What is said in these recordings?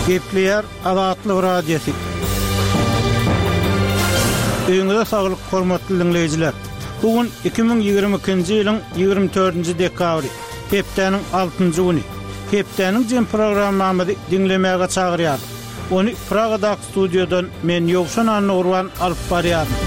Gepleýär Azatlyk Radiosy. Öýüňize saglyk, hormatly diňleýjiler! Bu gün 2022-nji ýylyň 24-nji dekabry, hepdäniň altynjy güni. Hepdäniň jem programmamyzy diňlemäge çagyrýarys. Ony Pragadaky studiýadan men Ýowşan Annagurban alyp barýaryn.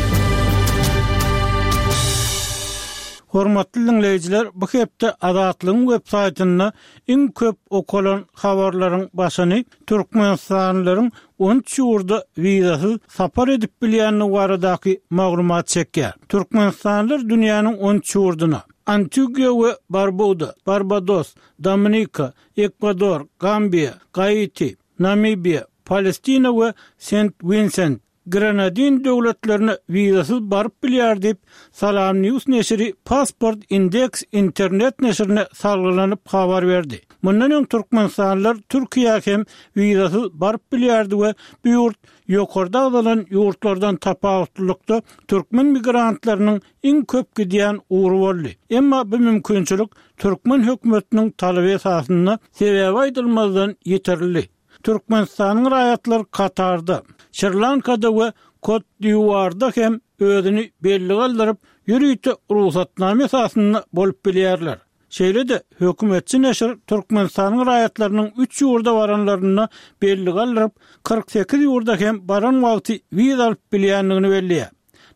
Hormatly diňleýjiler, bu hepde Azatlygyň web saýtynda iň köp okalan habarlaryň başyny türkmenistanlylaryň 13 ýurda wizasyz sapar edip bilýändigi baradaky maglumat çekýär. Türkmenistanlylar dünýäniň 13 ýurduna, Antigua we Barbuda, Barbados, Dominika, Ekwador, Gambiýa, Gaiti, Namibiýa, Palestina we Sent-Winsent, Grenadin döwletlerine wizasyz baryp bilýär diýip, SalamNews neşiri Passport Index internet neşirine salgylanyp habar berdi. Mundan öň türkmenistanlylar Türkiýä hem wizasyz baryp bilýärdi we bu ýurt ýokarda agzalan ýurtlardan tapawutlylykda türkmen migrantlarynyň iň köp gidýän ugry boldy. Emma bu mümkinçilik türkmen hökümetiniň talaby esasynda sebäbi aýdylmazdan ýitirildi. Türkmenistanyň raýatlary Katarda, Şri-Lankada we Kot-d'Iwuarda hem özüni bellige aldyryp, ýörite rugsatnama esasynda bolup bilýärler. Şeýle-de, hökümetçi neşir Türkmenistanyň raýatlarynyň üç ýurda baranlarynda bellige aldyryp, 48 ýurda hem baran wagty wiza alyp bilýändigini belleýär.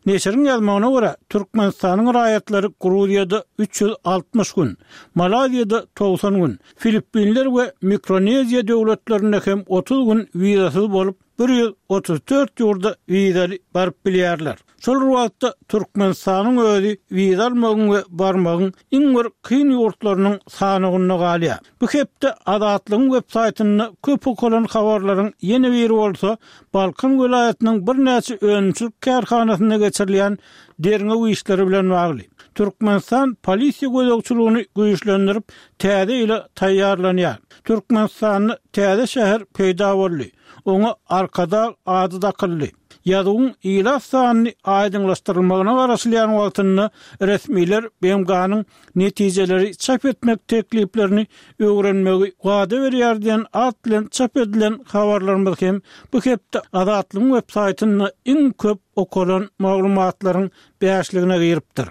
Neşiriň ýazmagyna görä, Türkmenistanyň raýatlary Gruziýada 360 gün, Malaýziýada 90 gün, Filippinler we Mikroneziýa döwletlerinde hem 30 gün wizasyz bolup, 134 ýurda wizaly baryp bilýärler. Şol bir wagtda, Türkmenistanyň özi wiza almagyň we barmagyň iň bir kyn ýurtlarynyň sanawynda galýar. Bu hepde Azatlygyň web saýtynda köp okalan habarlaryň ýene biri bolsa, Balkan welaýatynyň birnäçe önümçilik kärhanasynda geçirilýän derňew işleri bilen bagly. Türkmenistan polisiýa gözegçiligini güýçlendirip, täze ýyla taýýarlanýar. Türkmenistanda täze şäher peýda boldy. Oňa Arkadag ady dakyldy. Ýazuwyň ilat sanyny aýdyňlaşdyrylmagyna garaşylýan wagtynda resmiler BMG-niň netijeleri çap etmek tekliplerini öwrenmegi wada berýär diýen at bilen çap edilen habarlarymyz hem bu hepde Azatlygyň web saýtynda iň köp okalan maglumatlaryň bäşligine giripdir.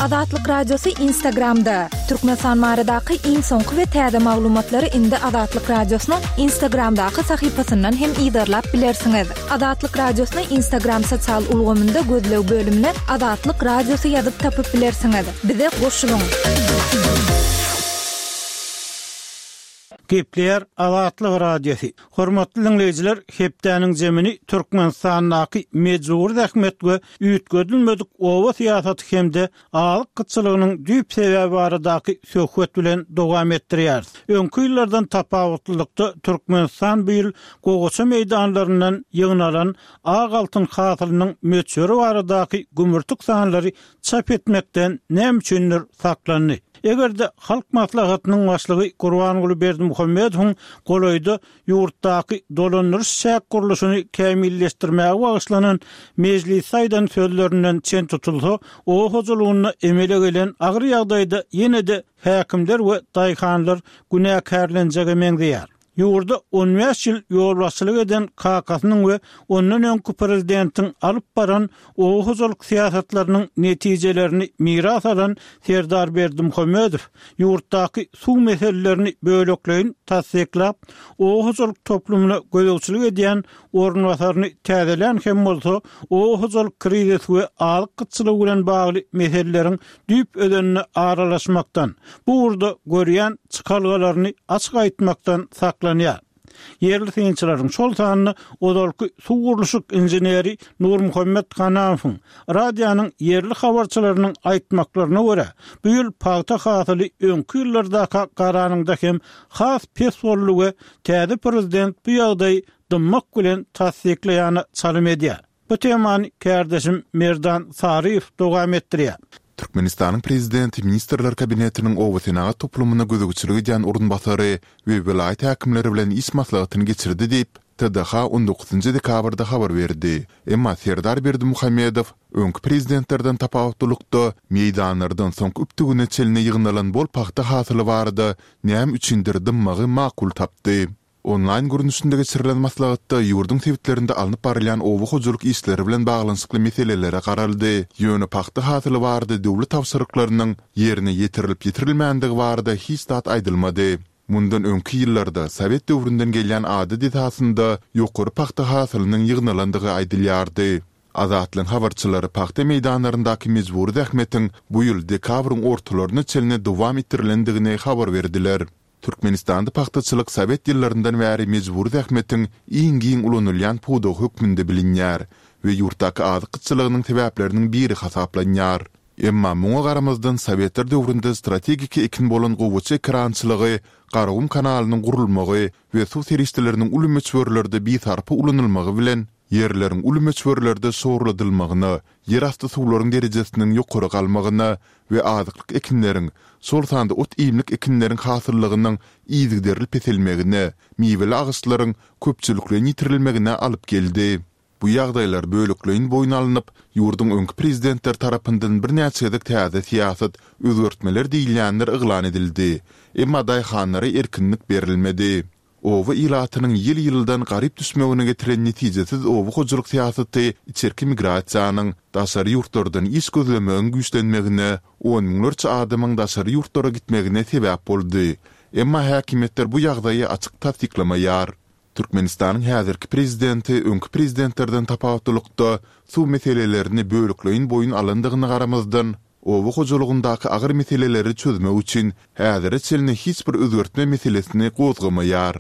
Azatlyk Radiosy Instagramda, Türkmenistan baradaky iň soňky we täze maglumatlary indi Azatlyk Radiosynyň Instagramdaky sahypasyndan hem yzarlap bilersiňiz. Azatlyk Radiosyny Instagram sosial ulgamynda gözleg bölümine Azatlyk Radiosy ýazyp tapyp bilersiňiz. Bize goşulyň! Gepleýär Azatlyk Radiosy. Hormatly diňleýjiler, hepdäniň jemini Türkmenistandaky mejbury zähmet we üýtgedilmedik oba syýasaty hem-de azyk gytçylygynyň düýp sebäbi baradaky söhbet bilen dowam etdirýäris. Öňki ýyllardan tapawutlylykda Türkmenistan bu ýyl gowaça meýdanlaryndan ýygnalan ak altyn hasylynyň möçberi baradaky gümürtik sanlary çap etmekden näme üçindir saklandy. Eger-de Halk Maslahatynyň Başlygy Gurbanguly Berdimuhamedowyň golaýda ýurtdaky dolandyryş-çäk gurluşyny kämilleşdirmäge bagyşlanan mejlisde aýdan sözlerinden çen tutulsa, oba hojalygynda emele gelen agyr ýagdaýda ýene-de häkimler we daýhanlar günäkärlenjege meňzeýär. Ýurda on bäş ýyl ýolbaşçylyk eden kakasynyň we ondan öňki prezidentiň alyp baran oba hojalyk syýasatlarynyň netijelerini miras alan Serdar Berdimuhamedow ýurtdaky suw meselelerini bölekleýin tassyklap, oba hojalyk toplumyna gözegçilik edýän orunbasaryny täzelän hem bolsa, oba hojalyk krizisi we azyk gytçylygy bilen bagly meseleleriň düýp özenine aralaşmakdan, bu ugurda görýän çykalgalaryny açyk aýtmakdan saklanýar. Ýerli synçylaryň, şol sanda ozalky suw gurluşyk inženeri Nurmuhammet Hanamowyň, radionyň ýerli habarçylarynyň aýtmaklaryna görä, bu ýyl pagta hasyly öňki ýyllardaka garanyňda hem has pes boldy we täze prezident bu ýagdaýy dymmak bilen tassyklaýana çalym edýär. Bu temany kärdeşim Merdan Saryýew dowam etdirýär. Türkmenistanyň Prezidenti Ministrler Kabinetiniň obasenagat toplumyna gözegçilik edýän orunbasary we welaýat häkimleri bilen iş maslahatyny geçirdi diýip, TDH on dokuzynjy dekabrda habar berdi. Emma Serdar Berdimuhamedow öňki prezidentlerden tapawutlylykda, meýdanlardan soňky übtügine çenli ýygnalan bol pagta hasyly barada näme üçindir dymmagy makul tapdy. Onlaýn görnüşinde geçirilen maslahatda ýurduň sebitlerinde alnyp barylýan oba hojalyk işleri bilen baglanyşykly meselelere garaldy, ýöne pagta hasyly barada döwlet tabşyryklarynyň ýerine ýetirilip-ýetirilmändigi barada hiç zat aýdylmady. Mundan öňki ýyllarda sowet döwründen gelýän adat esasynda ýokary pagta hasylynyň ýygnalandygy aýdylýardy. Azatlygyň habarçylary pagta meýdanlaryndaky mejbury zähmetiň bu ýyl dekabryň ortalaryna çenli dowam etdirilendigini habar berdiler. Türkmenistanda pagtaçylyk sowet ýyllaryndan bäri mejbury zähmetiň iň giň ulanylýan pudagy hökmünde bilinýär we ýurtdaky azyk gytçylygynyň sebäpleriniň biri hasaplanýar. Emma muňa garamazdan sowetler döwründe strategiki ekin bolan gowaça ekerançylygy Garagum kanalynyň gurulmagy we suw serişdeleriniň uly möçberlerde bisarpa ulanylmagy bilen ýerleriň uly möçberlerde şorladylmagyna, ýerasty suwlaryň derejesiniň ýokary galmagyna we azyklyk ekinleriň, şol sanda ot-iýmlik ekinleriň hasyllygynyň yzygiderli peselmegine, miweli agaçlaryň köpçülikleýin ýitirilmegine alyp geldi. Bu ýagdaýlar bölekleýin boýun alnyp, ýurduň öňki prezidentleri tarapyndan birnäçe gezek täze syýasat, özgertmeler diýilýänler yglan edildi. Emma daýhanlara erkinlik berilmedi. Oba ilatynyň ýyl-ýyldan garyp düşmegine getiren netijesiz oba hojalyk syýasaty içerki migrasiýanyň, daşary ýurtlardan iş gözlemegiň güýçlenmegine, on müňlerçe adamyň daşary ýurtlara gitmegine sebäp boldy. Emma häkimiýetler bu ýagdaýy açyk tassyklamaýar. Türkmenistanyň häzirki prezidenti öňki prezidentlerden tapawutlylykda suw meselelerini bölekleýin boýun alandygyna garamazdan, oba hojalygyndaky agyr meseleleri çözmek üçin häzire çenli hiç bir özgertme meselesini gozgamaýar.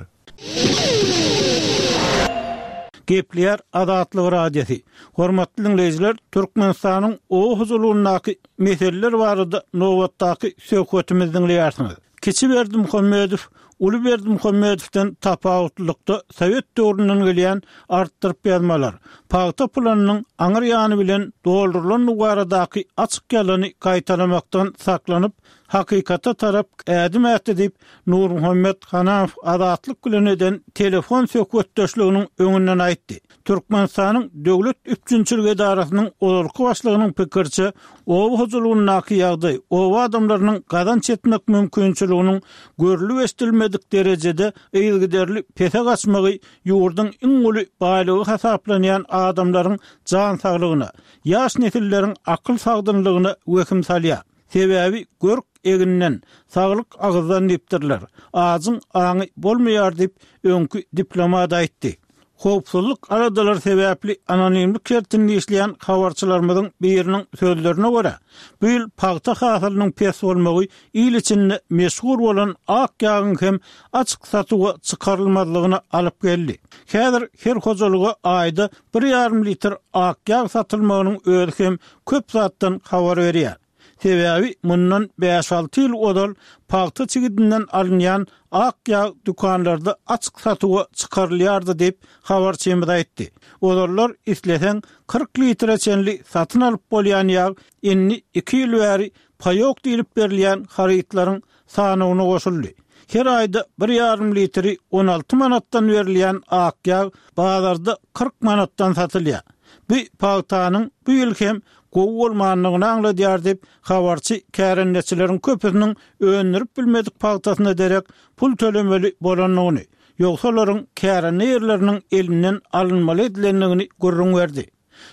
Gepleýär Azatlyk Radiosy. Hormatly diňleýjiler, Türkmenistanyň oba hojalygyndaky meseleler barada nobatdaky söhbetimizi diňleýärsiňiz. Kiçi Berdimuhamedow uly Berdimuhamedowdan tapawutlylykda sowet döwründen gelýän artdyryp ýazmalar, pagta planynyň aňyr ýany bilen doldurylandygy baradaky açyk ýalany gaýtalamakdan saklanyp, hakykata tarap ädim ätdi diýip, Nurmuhammet Hanamow Azatlyk bilen eden telefon söhbetdeşliginiň öňünden aýtdy. Türkmenistanyň Döwlet üpjünçilik edarasynyň ozalky başlygynyň pikiriçe, oba hojalygyndaky ýagdaý oba adamlarynyň gazanç etmek mümkinçiliginiň görlüp-eşidilmedik derejede yzygiderli pese gaçmagy ýurduň iň uly baýlygy hasaplanýan adamlaryň jan saglygyna, ýaş nesilleriň akyl sagdynlygyna wehim salýar. Sebäbi görk eginden, saglyk agyzdan diýipdirler. Ajyň aňy bolmaýar diýip, öňki diplomat aýtdy. Howpsuzlyk aladalary sebäpli anonimlik şertinde işleýän habarçylarymyzyň biriniň sözlerine görä, bu ýyl pagta hasylynyň pes bolmagy il içinde meşhur bolan ak ýagyň hem açyk satuwa çykarylmazlygyna alyp geldi. Häzir her hojalyga aýda bir ýarym litr ak ýag satylmagynyň özi hem köp zatdan habar berýär. Sebäbi mundan bäş-alty ýyl ozal pagta çigidinden alynýan ak ýag dükanlarda açyk satuwa çykarylýardy diýip, habarçymyz aýtdy. Ozallar isleseň 40 litre çenli satyn alyp bolýan ýag indi iki ýyl bäri paýok diýlip berilýän harytlaryň sanawyna goşuldy. Her aýda bir ýarym litri 16 manatdan berilýän ak ýag bazarda 40 manatdan satylýar. Bu pagtanyň bu ýyl hem gowy bolmandygyny aňladýar diýip, habarçy kärendeçileriň köpüsiniň öndürip bilmedik pagtasyna derek pul tölemeli bolandygyny, ýogsa olaryň kärende ýerleriniň elinden alynmaly edilendigini gürrüň berdi.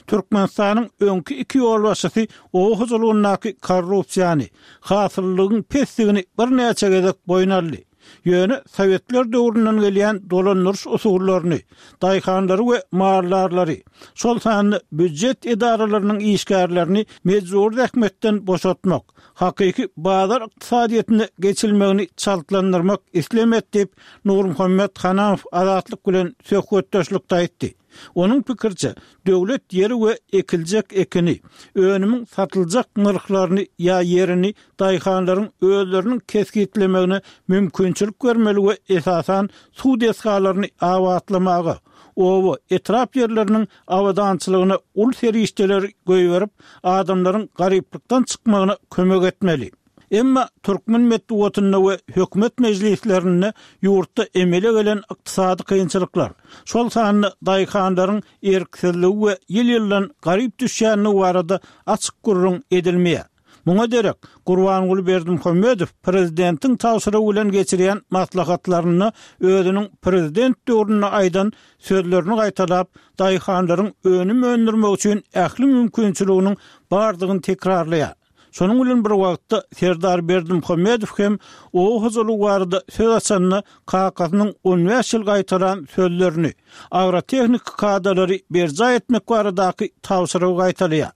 Türkmenistanyň öňki iki ýolbaşçysy oba hojalygyndaky korrupsiýany, hasyllylygyň pesdigini birnäçe gezek boýun aldy. Ýöne sowetler döwründen gelýän dolandyryş usullaryny, daýhanlary we maldarlary, şol sanda býujet edaralarynyň işgärlerini mejbury zähmetden boşatmak, hakyky bazar ykdysadyýetine geçilmegini çaltlandyrmak islemedi diýip, Nurmuhammet Hanamow Azatlyk bilen söhbetdeşlikde aýtdy. Onuň pikiriçe, döwlet ýeri we ekiljek ekini, önümiň satyljak nyrhlaryny ýa ýerini daýhanlaryň özleriniň kesgitlemegine mümkinçilik bermeli we esasan suw desgalaryny abatlamaga, oba, etrap ýerleriniň abadançylygyna uly serişdeleri goýberip, adamlaryň garyplykdan çykmagyna kömek etmeli. Emma türkmen metbugatynda we hökümet mejlislerinde ýurtda emele gelen ykdysady kynçylyklar, şol sanda daýhanlaryň erksizligi we ýyl-ýyldan garyp düşýändigi barada açyk gürrüň edilmeýär. Muňa derek, Gurbanguly Berdimuhamedow prezidentiň tabşyrygy bilen geçirýän maslahatlarynda özüniň prezident döwründe aýdan sözlerini gaýtalap, daýhanlaryň önüm öndürmek üçin ähli mümkinçiliginiň bardygyny tekrarlaýar. Şonuň bilen bir wagtda, Serdar Berdimuhamedow hem oba hojalygy barada söz açanda kakasynyň on bäş ýyl gaýtalan sözlerini, agrotehniki kadalary berjaý etmek baradaky tabşyrygy gaýtalaýar.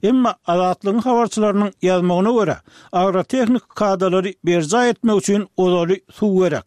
Emma Azatlygyň habarçylarynyň ýazmagyna görä, agrotehniki kadalary berjaý etmek üçin ozaly suw gerek.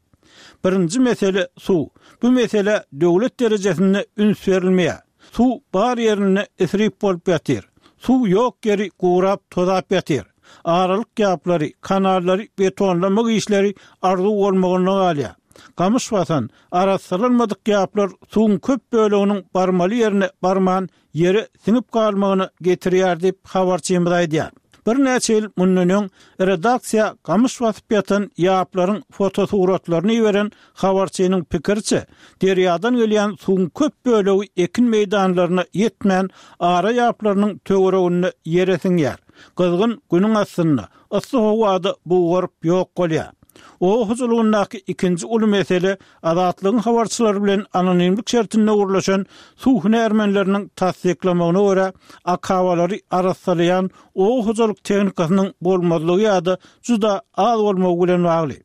Birinji mesele suw. Bu meselä döwlet derejesinde üns berilmeýär. Suw bar ýerinde isrip bolup ýatyr. Suw ýok ýeri gurap, tozap ýatyr. Aralyk ýaplary, kanallary betonlamak işleri arzuw bolmagynda galýar. Gamyş basan, arassalanmadyk ýaplar suwuň köp böleginiň barmaly ýerine barman, ýere siňip galmagyna getirýär diýip, habarçymyz aýdýar. Birnäçe ýyl mundan öň redaksiýa gamyş basyp ýatan ýaplaryň fotosuratlaryny iberen habarçynyň pikiriçe, derýadan gelýän suwuň köp bölegi ekin meýdanlaryna ýetmän, ara ýaplarynyň töwereginde ýere siňýär. Gyzgyn günüň astynda, yssy howada bugaryp ýok bolýar. Oba hojalygyndaky ikinji uly mesele Azatlygyň habarçylary bilen anonimlik şertinde gürleşen suw hünärmenleriniň tassyklamagyna görä, akabalary arassalaýan oba hojalyk tehnikasynyň bolmazlygy ýa-da juda az bolmagy bilen bagly.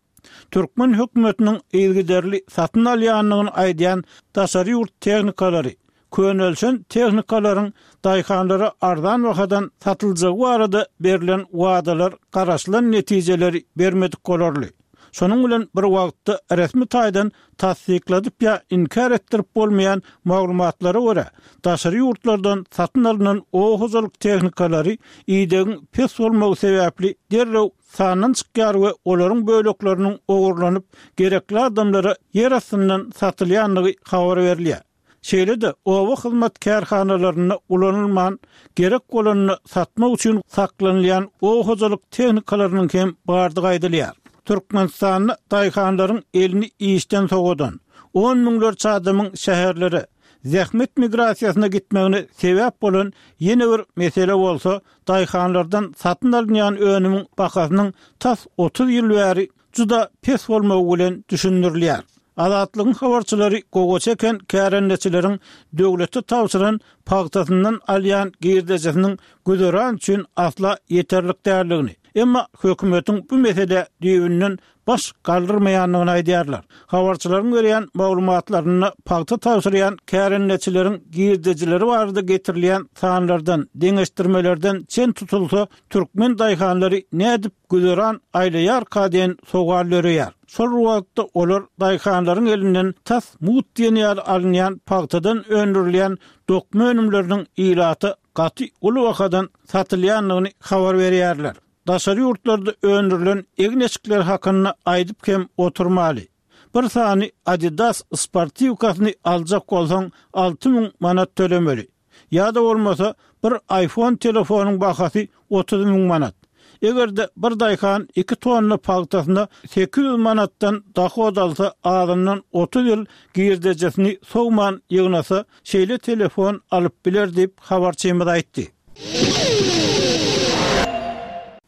Türkmen hökümetiniň yzygiderli satyn alýandygyny aýdýan daşary ýurt tehnikalary, könelişen tehnikalaryň daýhanlara arzan bahadan satyljagy barada berlen wadalar garaşylan netijeleri bermedik bolarly. Şonuň bilen bir wagtda resmi taýdan tassykladyp ýa inkär etdirip bolmaýan maglumatlara görä, daşary ýurtlardan satyn alnan oba hojalyk tehnikalary idegiň pes bolmagy sebäpli derrew sandan çykýar we olaryň bölekleriniň ogurlanyp, gerekli adamlara ýer astyndan satylýandygy habar berilýär. Şeýle-de, oba hyzmat kärhanalarynda ulanylman, gerek bolanda satmak üçin saklanylýan oba hojalyk tehnikalarynyň hem bardygy aýdylýar. Türkmenistanda daýhanlaryň elini işden sowadan, on müňlerçe adamyň şäherlere, zähmet migrasiýasyna gitmegine sebäp bolan ýene bir mesele bolsa, daýhanlardan satyn alynýan önümiň bahasynyň tas 30 ýyl bäri juda pes bolmagy bilen düşündirilýär. Azatlygyň habarçylary gowaça eken kärendeçileriň döwlete tabşyran pagtasyndan alýan girdejisiniň güzeran üçin asla ýeterlik däldigini, emma hökümetiň bu meselä düýbünden baş galdyrmaýandygyny aýdýarlar. Habarçylaryň berýän maglumatlarynda pagta tabşyrýan kärendeçileriň girdejileri barada getirilýän sanlardan, deňeşdirmelerden çen tutulsa, türkmen daýhanlary nädip güzeran aýlaýarka diýen sowal döreýär. Şol bir wagtda olar daýhanlaryň elinden tas mugt diýen ýaly alynýan pagtadan öndürilýän dokma önümleriniň ilata gaty uly bahadan satylýandygyny habar berýärler. Daşary ýurtlarda öndürilen egin-eşikler hakynda aýdyp hem oturmaly. Bir sany Adidas sportiwkasyny aljak bolsaň 6000 manat tölemeli. Ýa-da bolmasa, bir iPhone telefonyň bahasy 30 müň manat. Eger-de bir daýhan iki tonna pagtasyna 800 manatdan dohod alsa, azyndan 30 ýyl girdejisini sowman ýygnasa, şeýle telefon alyp biler diýip, habarçymyz aýtdy.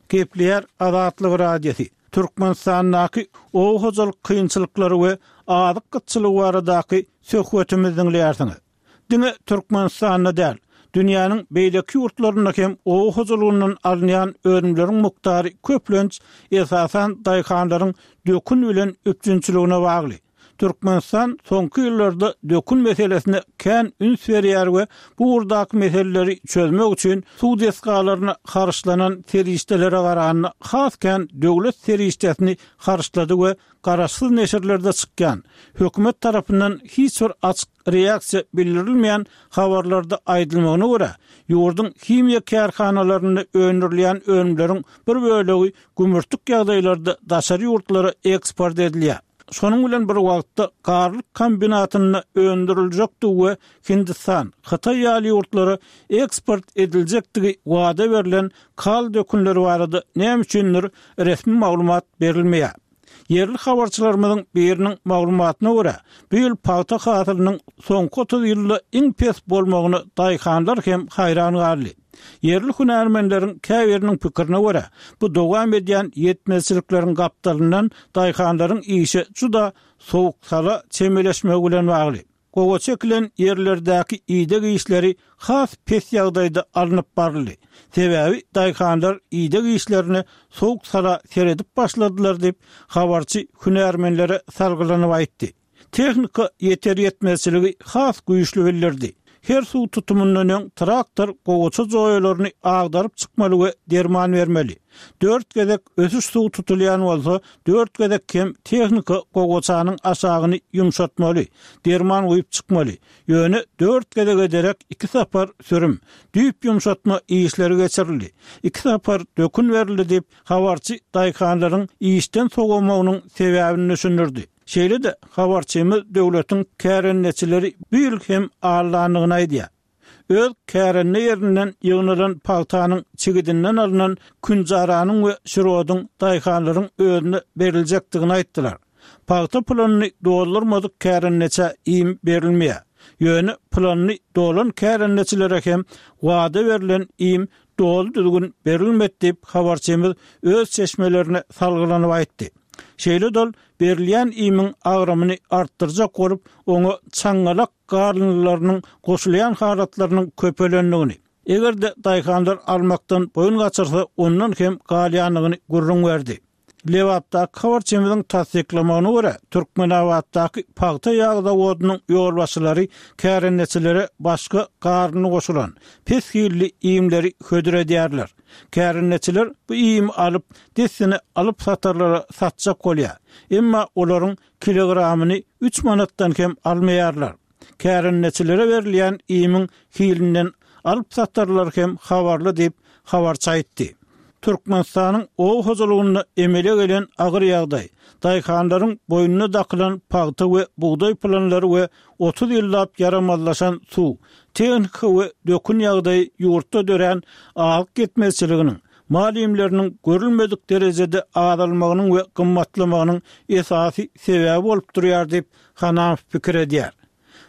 Gepleýär Azatlyk Radiosy, Türkmenistandaky oba hojalyk kynçylyklary we azyk gytçylygy baradaky söhbetimizi diňleýärsiňiz. Diňe Türkmenistanda däl, dünýäniň beýleki ýurtlarynda hem oba hojalygyndan alynýan önümleriň mukdary köplenç, esasan, daýhanlaryň dökün bilen üpjünçiligine bagly. Türkmenistan soňky ýyllarda dökün meselesine kän üns berýär we bu ugurdaky meseleleri çözmek üçin suw desgalaryna harçlanan serişdelere garanda has kän döwlet serişdesini harçlady we garaşsyz neşirlerde çykýan, hökümet tarapyndan hiç bir açyk reaksiýa bildirilmeýän habarlarda aýdylmagyna görä, ýurduň himiýa kärhanalarynda öndürilýän önümleriň bir bölegi gümürtik ýagdaýlarda daşary ýurtlara eksport edilýär. Şonuň bilen bir wagtda, Garlyk kombinatynda öndüriljekdigi we Hindistan, Hytaý ýaly ýurtlara eksport ediljekdigi wada berlen kal dökünleri barada näme üçindir resmi maglumat berilmeýär. Ýerli habarçylarymyzyň biriniň maglumatyna görä, bu ýyl pagta hasylynyň soňky 30 ýylda iň pes bolmagyna daýhanlar hem haýran galdy. Ýerli hünärmenleriň käbiriniň pikirine görä, bu dowam edýän ýetmezçilikleriň gapdalyndan daýhanlaryň işe juda sowuk-sala çemeleşmegi bilen bagly. Gowaça ekilen ýerlerdäki ideg işleri has pes ýagdaýda alnyp baryldy. Sebäbi daýhanlar ideg işlerine sowuk-sala seredip başladylar diýip, habarçy hünärmenlere salgylanyp aýtdy. Tehnika ýeter-ýetmezçiligi has güýçli bildirdi. Her suw tutumyndan öň traktor gowaça joýalaryny agdaryp çykmaly we derman bermeli. Dört gezek ösüş suw tutulýan bolsa, dört gezek hem tehnika gowaçanyň aşagyny ýumşatmaly, derman guýup çykmaly. Ýöne dört gezege derek iki sapar sürüm, düýp ýumşatma işleri geçirildi. Iki sapar dökün berildi diýip, habarçy daýhanlaryň işden sowamagynyň sebäbini düşündirdi. Şeýle-de, habarçymyz döwletiň kärendeçileri bu ýyl hem aldandygyny aýdýar. Öz kärende ýerinden ýygnalan pagtanyň çigidinden alnan künjaranyň we şirodyň daýhanlaryň özüne beriljekdigini aýtdylar. Pagta planyny doldurmadyk kärendeçä iým berilmeýär. Ýöne planyny dolan kärendeçilere hem wada berlen iým doly düzgün berilmedi diýip, habarçymyz öz çeşmelerine salgylanyp aýtdy. Şeýle-de ol berilýän iýmiň agramyny artdyrjak bolup, oňa çaňňalak garyndylarynyň goşulýan halatlarynyň köpelendigini, eger-de daýhanlar almakdan boýun gaçyrsa, ondan hem galýandygyny gürrüň berdi. Lebapdaky habarçymyzyň tassyklamagyna görä, Türkmenabatdaky pagta ýag zawodynyň ýolbaşçylary kärendeçilere başga garyndy goşulan, pes hilli iýmleri hödür edýärler. Kärendeçiler bu iými alyp, dessine alyp-satarlara satjak bolýar. Emma olaryň kilogramyny üç manatdan kem almaýarlar. Kärendeçilere berilýän iýmiň hilinden alyp-satarlar hem habarly diýip, habarçy aýtdy. Türkmenistanyň oba hojalygynda emele gelen agyr ýagdaý, daýhanlaryň boýnuna dakylan pagta we bugdaý planlary we 30 ýyllap ýaramazlaşan suw, tehnika we dökün ýagdaýy ýurtda dörän azyk ýetmezçiliginiň, mal iýmleriniň görülmedik derejede azalmagynyň we gymmatlamagynyň esasy sebäbi bolup durýar diýip, Hanamow pikir edýär.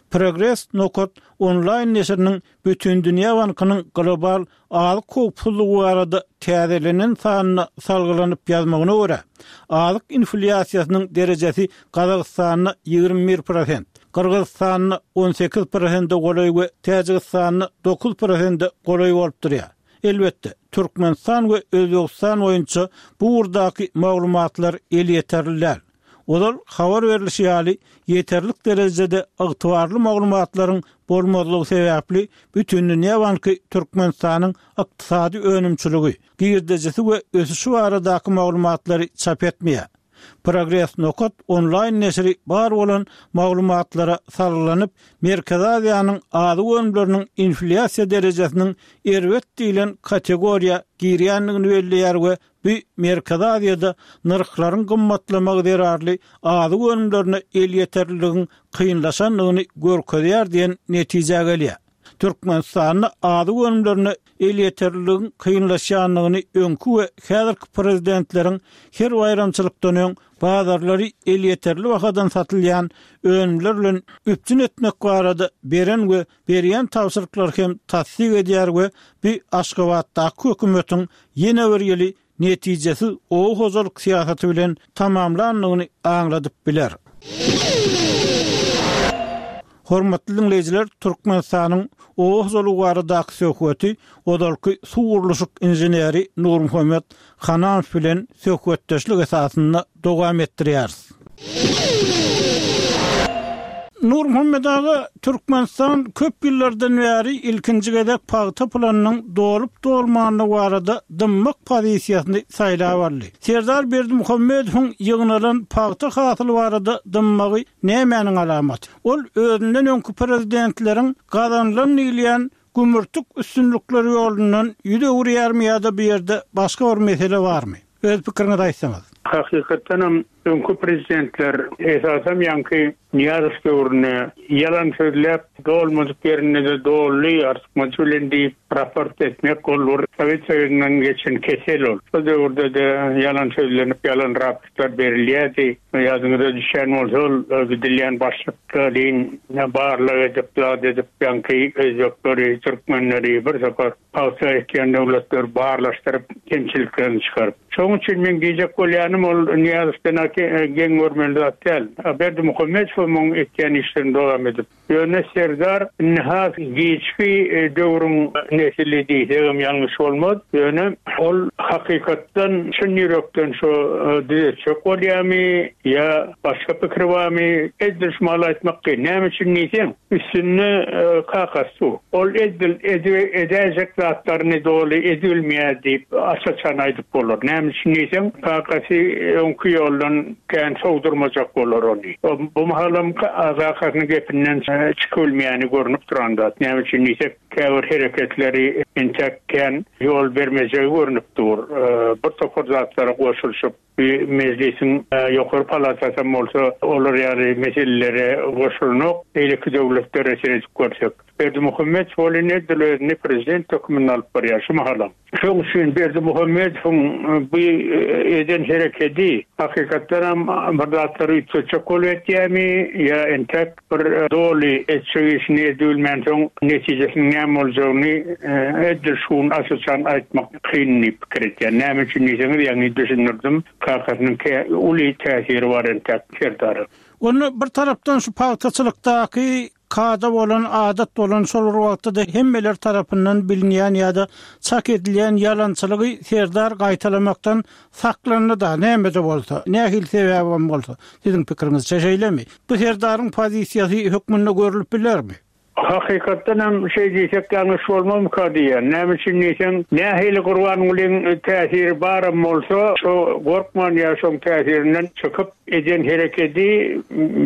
Progres nokat onlaýn neşiriniň Bütindünýä bankynyň global azyk howpsuzlygy barada täzelenen sanyna salgylanyp ýazmagyna görä, azyk inflýasiýasynyň derejesi Gazagystanda 21 prosent, Gyrgyzystanda 18 prosente golaý we Täjigistanda 9 prosente golaý bolup durýar. Elbetde, Türkmenistan we Özbegistan boýunça bu ugurdaky maglumatlar elýeterli däl. Ozal habar berlişi ýaly, ýeterlik derejede ygtybarly maglumatlaryň bolmazlygy sebäpli Bütindünýä banky Türkmenistanyň ykdysady önümçiligi, girdejisi we ösüşi baradaky maglumatlary çap etmeýär. Progres nokat onlaýn neşiri bar bolan maglumatlara salgylanyp, Merkezi Aziýanyň azyk önümleriniň inflýasiýa derejesiniň erbet diýlen kategoriýa girýändigini belleýär we Bu Merkezi Aziýada nyrhlaryň gymmatlamagy zerarly azyk önümlerine elýeterliligiň kynlaşandygyny görkezýär diýen netijä gelýär. Türkmenistanda azyk önümlerine elýeterliligiň kynlaşýandygyny öňki we häzirki prezidentleriň her baýramçylykdan öň bazarlary elýeterli bahadan satylýan önümler bilen üpjün etmek barada beren we berýän tabşyryklary hem tassyk edýär we bu Aşgabatdaky hökümetiň ýene bir ýyly netijesiz oba hojalyk syýasaty bilen tamamlandygyny aňladyp biler. Hormatly diňleýjiler, Türkmenistanyň oba hojalygy baradaky söhbeti ozalky suw gurluşyk inženeri Nurmuhammet Hananow bilen söhbetdeşlik esasynda dowam etdirýäris. Nurmuhammet aga, Türkmenistan köp ýyllardan bäri ilkinji gezek pagta planynyň dolup-dolmanlygy barada dymmak pozisiýasyny saýlap aldy. Serdar Berdimuhamedowyň ýygnalan pagta hasyly barada dymmagy nämäniň alamaty? Ol özünden öňki prezidentleriň gazanylan diýilýän gümürtik üstünlikleri ýolundan ýüz öwürýärmi ýa-da bu ýerde başga bir mesele barmy? Öz pikiriňizi aýtsaňyz. Hakykatdanam öňki prezidentler, esasam ýaňky Nyýazow döwründe ýalan sözläp, dolmadyk ýerinde-de doldy, artykmajy bilen diýip raport etmek ol bir Sowet Soýuzyndan geçen kesel ol. Şol döwürde-de ýalan sözlenip, ýalan raportlar berilýärdi. Ýadyňyza düşýän bolsa ol gidilýän başlyklaryň barlag edip, zat edip ýaňky özbekleri, türkmenleri bir topar pagta ekýän döwletleri barlaşdyryp, kemçiliklerini çykaryp. Şonuň üçin meň diýjek bolýanym ol Nyýazowdan-a geň görmeli zat däl. Berdimuhamedowam oň etýän işlerini dowam edip. Ýöne Serdar indi has giçki döwrüň nesili diýsegem ýalňyş bolmaz. Ýöne ol hakykatdan çyn ýürekden şo düzetjek bolýamy ýa başga pikiri barmy edil şu mahaly aýtmak kyn. Näme üçin diýseň, Üstünde kakasy dur. Ol edil edäýjek zatlaryny doly edibilmeýär diýip aç-açan aýdyp bolar. Näme üçin diýseň, kakasy öňki ýoldan kän sowdurmajak bolar ony. Bu mahalam kakasynyň gepinden çykybilmeýäni görnüp duran zat. Näme üçin diýsek, käbir hereketleri entek kän ýol bermejegi görnüp dur. Bir topar zatlara goşulyşyp. Bu mejlisiň ýokary palatasam bolsa olar ýaly meselelere goşulanok, beýleki döwletlere seredip görsek. Berdimuhamedow welin edil özüni prezident hökmünde alyp barýar şu mahalam. Şoň üçin Berdimuhamedowyň bu eden herekedi hakykatdanam bir zatlary üýtgetjek bolup etýärmi ýa entek bir doly etjek işini edibilmänsoň netijesiniň näme boljagyny edil şu gün aç-açan aýtmak kyn diýip pikir etýän. Näme üçin diýseňiz, ýaňy düşündirdim, kakasynyň uly täsiri bar entäk Serdara. Onda bir tarapdan şu pagtaçylykdaky kada bolan, adat bolan, şol bir wagtda-da hemmeler tarapyndan bilinýän ýa-da çak edilýän ýalançylygy Serdar gaýtalamakdan saklandy-da, näme-de bolsa, nähili sebäbem bolsa, siziň pikiriňizçe şeýlemi? Bu Serdaryň pozisiýasy hökmünde görlüp bilermi? Hakykatdan hem şeý diýsek ýalňyş bolmazmyka diýýän. Näme üçin diýseň, nähili Gurbangulyň täsiri baram bolsa, şo gorkman ýa şoň täsirinden çykyp eden herekedi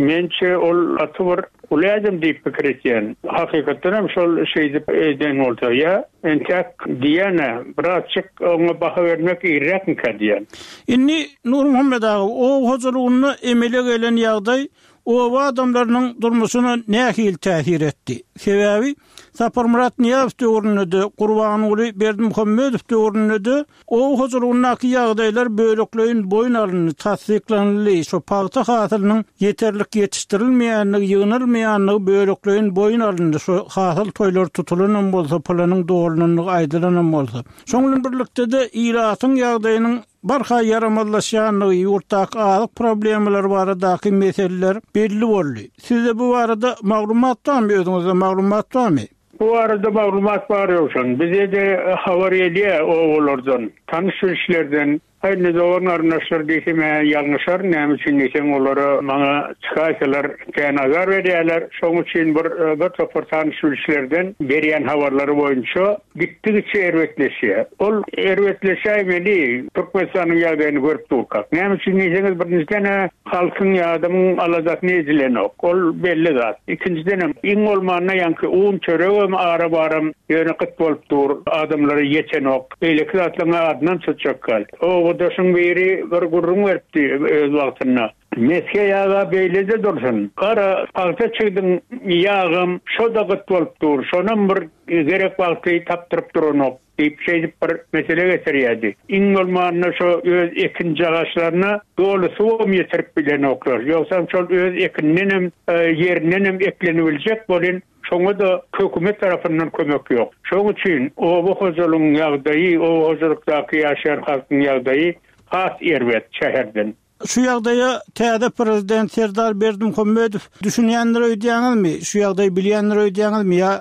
mençe ol gaty bir uly ädim diýip pikir etýän. Hakykatdan hem şol şeýdip eden bolsa ýa entäk diýýän-ä, birazjyk oňa baha bermek irräkmikä diýýän. Indi Nurmuhammet aga, oba hojalygynda emele gelen ýagdaý oba adamlarynyň durmuşyna nähili täsir etdi? Sebäbi Saparmyrat Nyýazow döwründe-de, Gurbanguly Berdimuhamedow döwründe-de oba hojalygyndaky ýagdaýlar bölekleýin boýun alyndy, tassyklanyldy, şo pagta hasylynyň ýeterlik ýetişdirilmeýändigi, ýygnalmaýandygy bölekleýin boýun alyndy, şo hasyl toýlary tutulanam bolsa, pylanyň dolunandygy aýdylanam bolsa. Şoň bilen birlikde-de ilatyň ýagdaýynyň barha ýaramazlaşýandygy, ýurtdaky azyk problemalary baradaky meseleler belli boldy. Sizde bu barada maglumat barmy, özüňizde maglumat barmy? Bu barada maglumat bar Ýowşan. Bize-de habar gelýär obalardan, tanyş-bilişlerden. Aý, indi dogan-garyndaşlar diýsem-ä ýalňyşaryn, näme üçin diýseň, olara maňa çykaýsalar kän azar berýärler. Şonuň üçin bir bir topar tanyş-bilişlerden berýän habarlary boýunça Gitdigiçe erbetleşýär. Ol erbetleşäýmeli, Türkmenistanyň ýagdaýyny görüp durkak. Näme üçin diýseňiz, birinjiden-ä halkyň ýa adamyň aladasyny edilenok. Ol belli zat. Ikinjidenem, iň bolmanda ýaňky un, çöregem ara-baram ýöne gyt bolup dur, adamlara ýetenok. Beýleki zatlaryň adynam tutjak däl. Obadaşyň biri bir gürrüň beripdi öz wagtynda. Mesge ýag-a beýle-de dursun, gara pagta çigdiň ýagam şo-da gyt bolup dur, şonam bir gerek wagty tapdyryp duranok diýip, şeýdip bir mesele getirýärdi. Iň bolmanda şo öz ekinjagaşlaryna doly suwam ýetirip bilenoklar. Ýogsam şol öz ekinindenem, ýerindenem eklenibiljek bolyn, şoňa-da hökümet tarapyndan kömek ýok. Şoň üçin oba hojalygyň ýagdaýy, oba hojalykdaky ýaşaýan halkyň ýagdaýy has erbet şäherden. Şu ýagdaýa täze prezident Serdar Berdimuhamedow düşünýändir öýdýäňizmi? Şu ýagdaýy bilýändir öýdýäňizmi ýa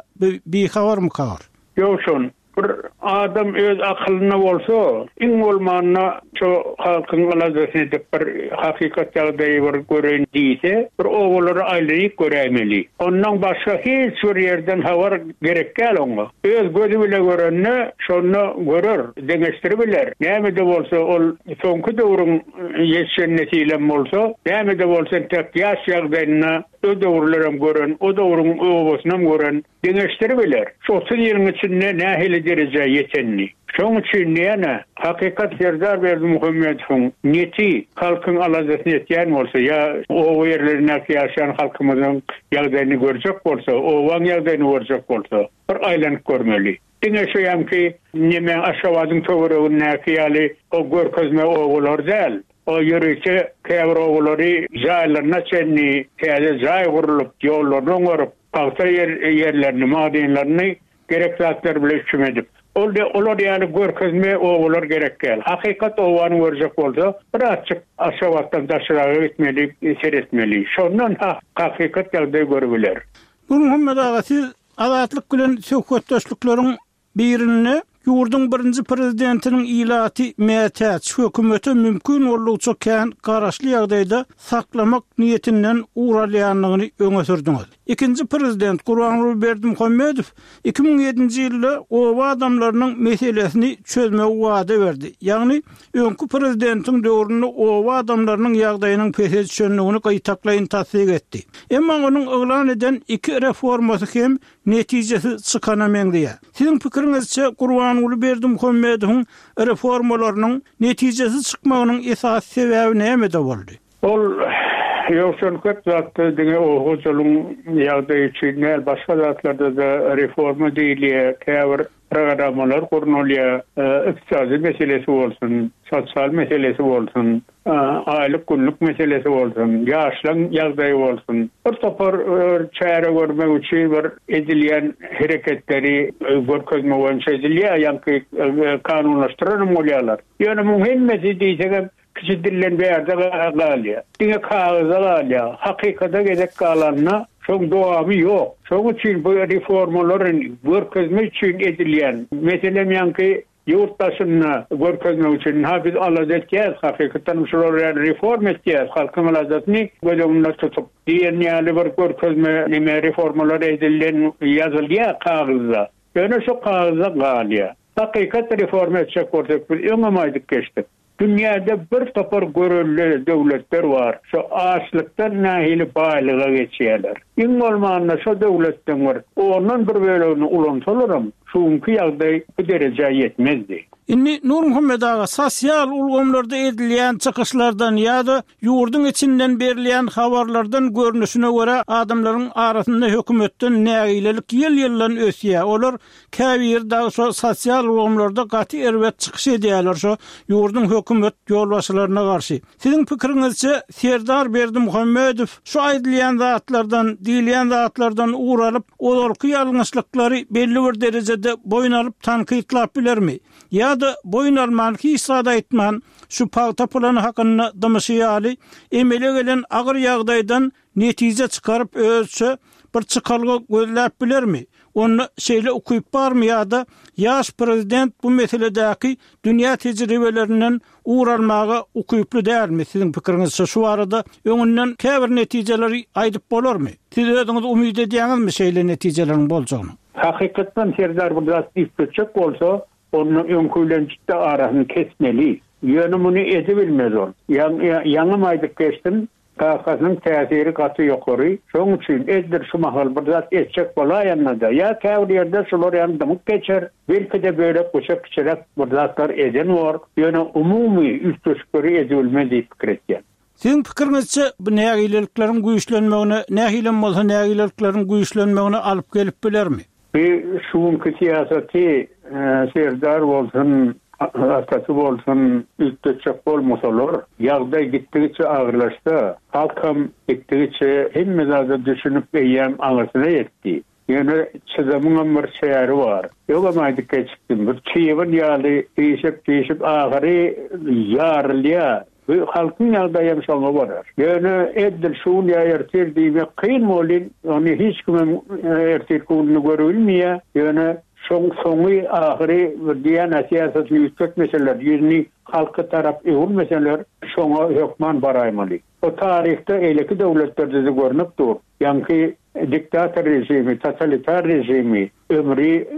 bihabarmyka ol? Ýowşan, bir adam öz akylynda bolsa, iň bolmanda şo halkyň aladasyny edip bir hakykat ýagdaýy bir göreýin diýse, bir obalara aýlanyp göräýmeli. Ondan başga hiç bir ýerden habar gerek däl oňa. Öz gözi bile görende şonda görer, deňeşdiribiler. Näme-de bolsa ol soňky döwrüň ýetişen nesilem bolsa, näme-de bolsa entek ýaş ýagdaýynda. o döwürlerem gören, o döwrüň obasynam gören, deňeşdiribiler. Şu 30 ýylyň içinde nähili derejä ýetenini. Şoň üçin ýene hakykat Serdar Berdimuhamedowyň neti halkyň aladasyny etýän bolsa ýa oba ýerlerindäki ýaşaýan halkymyzyň ýagdaýyny görjek bolsa, obaň ýagdaýyny görjek bolsa, bir aýlanyp görmeli. Diňe şu ýaňky neme Aşgabadyň töweregindäki ýaly o görkezme obalar däl. O ýörite käbir obalary jaýlaryna çenli täze jaý gurlup, ýollaryny oňaryp, pagta ýerlerini, magdynlaryny gerek zatlar bilen üpjün edip. Ol de olar ýaly görkezme obalar gerek däl. Hakykat obany görjek bolsa, birazjyk Aşgabatdan daşraga gitmeli, seretmeli. Şondan hakykat ýagdaý görübiler. Nurmuhammet aga, siz Azatlyk bilen söhbetdeşlikleriň birinde ýurduň birinji prezidentiniň ilaty mätäç hökümete mümkin boldugyça kän garaşly ýagdaýda saklamak niýetinden ugur alýandygyny öňe sürdüňiz. Ikinji prezident Gurbanguly Berdimuhamedow 2007-nji ýylda oba adamlarynyň meselesini çözmegi wada berdi. Ýagny, öňki prezidentiň döwründe oba adamlarynyň ýagdaýynyň pese düşendigini gytaklaýyn tassyk etdi. Emma onuň yglan eden iki reformasy hem netijesiz çykana meňzeýär. Siziň pikiriňizçe, Gurbanguly Berdimuhamedowyň reformalarynyň netijesiz çykmagynyň esasy sebäbi nämede boldy? Ol ýogsan köp zatda diňe oba hojalygyň ýagdaýy üçin däl, başga zatlarda-da reforma diýilýär, käbir programmalar gurnalýar, ykdysady meselesi bolsun, sosial meselesi bolsun, aýlyk-günlük meselesi bolsun, ýaşlaryň ýagdaýy bolsun, bir topar çäre görmek üçin bir edilýän hereketleri görkezme boýunça edilýär, ýaňky kanunlaşdyranam bolýarlar. Ýöne muň hemmesi diýsegem Kiçi dilden bärde galýar. Diňe kagyzda galýar. Hakykata gezek galanda şoň dowamy ýok. Şoň üçin bu reformalar görkezme üçin edilýän. Meselem ýaňky ýurt daşynda görkezmek üçin ynha biz alada etýäs, hakykatdanam şular ýaly reforma etýäs, halkyň aladasyny göz öňünde tutup diýen ýaly bir görkezme neme reformalar edilen ýazylýar kagyzda. Ýöne şo kagyzda galýar. Hakykat reforma etjek bolsak biz öňem aýdyp geçdik. Dünýäde bir topar görelde döwletler bar, şo açlykdan nähili baýlyga geçýärler. Iň bolmanda şo döwletleň bir ondan bir bölegini ulansalaram şu günki ýagdaý bu derejä ýetmezdi. Indi Nurmuhammet aga sosial ulgamlarda edilýän çykyşlardan ýa-da ýurduň içinden berilýän habarlardan görnüşine görä adamlaryň arasynda hökümetden nägilelik ýyl-ýyldan ösýär. Olar Käbiri dagy şo sosial ulgamlarda gaty erbet çykyş edýärler şo ýurduň hökümet ýolbaşçylaryna garşy. Siziň pikiriňizçe Serdar Berdimuhamedow şu aýdylýan zatlardan, diýilýän zatlardan ugur alyp, ozalky ýalňyşlyklary belli bir derejede boýun alyp tankytlap bilermi? Ýa-da boýun alman hiç zat aýtman şu pagta plany hakynda dymyşy ýaly emele gelen agyr ýagdaýdan netije çykaryp özüçe bir çykalga gözläp bilermi? Onda şeýle ukyp barmy ýa-da ýaş prezident bu meseledäki dünýä tejribelerinden ugur almaga ukyply dälmi? Siziň pikiriňizçe şu barada öňünden käbir netijeleri aýdyp bolarmy? Siz özüňiz umyt edýäňizmi şeýle netijeleriň boljagyna? Hakykatdan Serdar bir zat üýtgetjek bolsa, onda öňki bilen jitdi arasyny kesmeli. Ýöne muny edibilmez ol. Ýaňam aýdyp geçdim, Kakasynyň täsiri gaty ýokary, şoň üçin edil şu mahal bir zat etjek bolaýanda-da, ýa käbir ýerde şular ýaly dymyp geçer, belki-de bölek-büçek kiçiräk bir zatlar eden bor, ýöne umumy üýtgeşikleri edibilmez diýip pikir etýän. Siziň pikiriňizçe, bu nägilelikleriň güýçlenmegine, nähilem bolsa nägilelikleriň güýçlenmegine alyp gelip bilermi? Bu şu günki syýasaty Serdar bolsun, atasy bolsun üýtgetjek bolmasalar, ýagdaý gitdigiçe agyrlaşsa, halkam gitdigiçe hemme zada düşünip eýýäm aňyrsyna ýetdi. Ýöne çydamyňam bir çäri bar. Öňem aýdyp geçipdim, bir çybyn ýaly diýşip-diýşip ahyry ýarylýar. Bu halkyň ýagdaýam şoňa bolar. Ýöne edil şu gün ýa ertir diýmek kyn welin, ony hiç kimem ertirki gününi görübilmeýär. Ýöne şoň soňy, ahyry bir diýýän-ä syýasatyny üýtgetmeseler, ýüzüni halka tarap öwürmeseler, şoňa hökman baraýmaly. O taryhda eýleki döwletlerde-de görnüp dur. Ýaňky diktator režimi, totalitar režimi ömri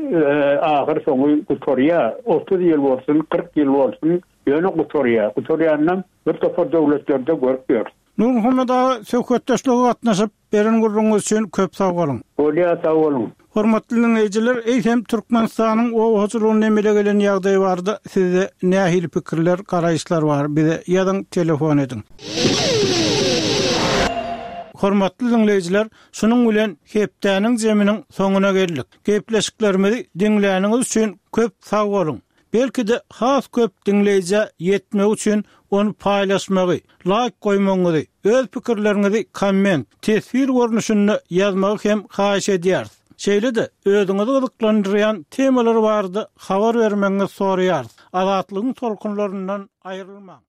ahyr soňy gutarýar. 30 ýyl bolsun, 40 ýyl bolsun, Ýöne gutarýar. Gutarýanynam bir topar döwletlerde görüp ýörüs. Nurmuhammet aga söhbetdeşlige gatnaşyp, beren gürrüňiňiz üçin köp sag boluň. Bolýar sag boluň. Hormatly diňleýjiler, eýsem Türkmenistanyň oba hojalygynda emele gelen ýagdaý barada sizde nähili pikirler, garaýyşlar bar? Bize ýazyň, telefon ediň. Hormatly diňleýjiler, şunuň bilen hepdäniň jeminiň soňuna geldik. Gepleşiklerimizi diňläniňiz üçin köp sag boluň. Belki-de has köp diňleýjä ýetmegi üçin ony paýlaşmagy, laýk goýmagyňyzy, öz pikirleriňizi komment, teswir görnüşinde ýazmagy hem haýyş edýäris. Şeýle-de özüňizi gyzyklandyrýan temalar barada habar bermegiňizi soraýarys. Azatlygyň tolkunlaryndan aýrylmaň!